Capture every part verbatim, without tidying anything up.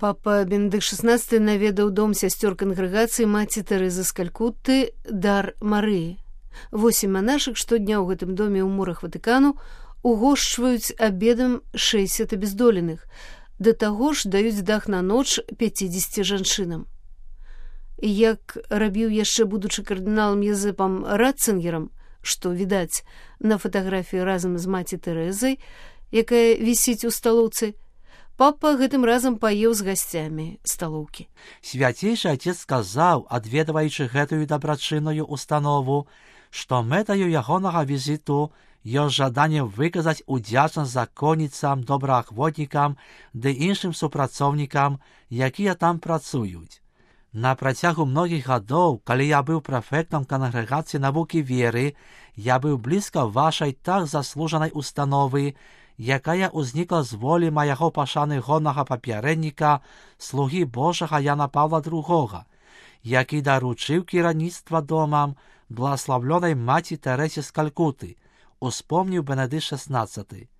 Папа Бенедыкт шестнадцаты наведаў дом сясцёр кангрэгацыі маці Тэрэзы з Калькутты дар Марыі. Восем манашак штодня ў гэтым доме ў мурах Ватыкану угошчваюць абедам шэсцьдзесят абездоленых, да таго ж даюць дах на ноч пяцідзесяці жанчынам. Як рабіў яшчэ будучы кардыналам Езэпам Ратцынгерам, што відаць на фатаграфіі разам з маці Тэрэзай, якая вісіць у сталоўцы, папа гэтым разам паеў з гасцямі сталоўкі. Свяцейшы Отец сказаў, адведваючы гэтую дабрачынную установу, што мэтаю ягонага візіту ёсць жаданне выказаць удзячнасць законніцам, добраахвотнікам ды іншым супрацоўнікам, якія там працуюць. На працягу многіх гадоў, калі я быў прэфектам кангрэгацыі навукі веры, я быў блізка вашай так заслужанай установы, якая ўзнікла з волі майго пашаныгоннага папярэдніка, слугі Божага Яна Паўла другога, які даручыў кіраўніцтва домам благаславлёнай маці Тэрэсе з Калькуты, успомніў Бенедыкт шестнадцаты.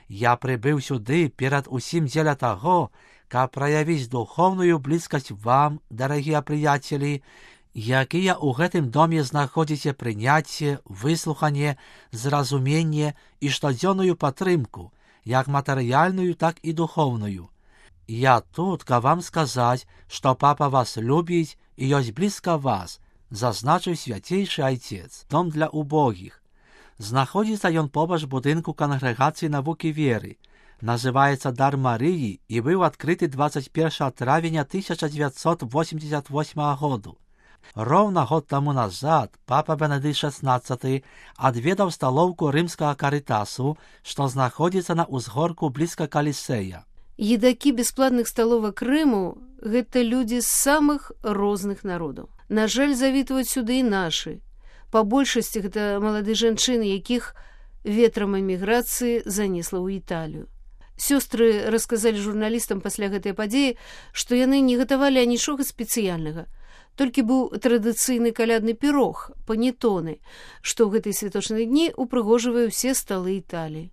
Я прыбыў сюды перад усім дзеля таго, каб праявіць духоўную блізкасць вам, дарагія прыяцелі, якія ў гэтым доме знаходзіце прыняцце, выслуханне, зразуменне і штодзённую падтрымку, як матэрыяльную, так і духоўную. Я тут, каб вам сказаць, што папа вас любіць і ёсць блізка вас, зазначыў свяцейшы Айцец, дом для убогіх. Знаходзіцца ён побач будынку кангрэгацыі навукі веры, называецца Дар Марыі і быў адкрыты дваццаць першага травеня тысяча дзевяцьсот восемьдесят восьмага году. Роўна год таму назад папа Бенедыкт шестнадцаты адведаў сталоўку рымскага карытасу, што знаходзіцца на ўзгорку блізка Калісея. Едакі бясплатных сталовак Рыму – гэта людзі з самых розных народаў. На жаль, завітваюць сюды і нашы. Па большасці гэта малады жанчыны, якіх ветрам эміграцыі занесла ў Італію. Сёстры расказалі журналістам пасля гэтай падзеі, што яны не гатавалі анічога спецыяльнага. Толькі быў традыцыйны калядны пірог, панетоны, што ў гэтай святочныя дні упрыгожвае ўсе сталы Італіі.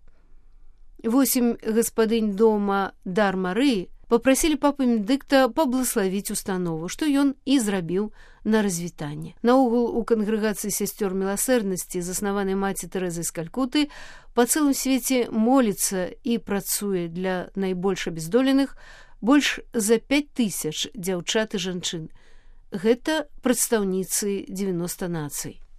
Восем гаспадынь дома Дар Марыі папрасілі папу Бенедыкта паблагаславіць установу, што ён і зрабіў на развітанне. Наогул, у кангрэгацыі сясцёр міласэрнасці, заснаванай маці Тэрэзай з Калькуты, па цэлым свеце моліцца і працуе для найбольш абездоленых больш за пяць тысяч дзяўчат і жанчын. Гэта прадстаўніцы дзевяноста нацый.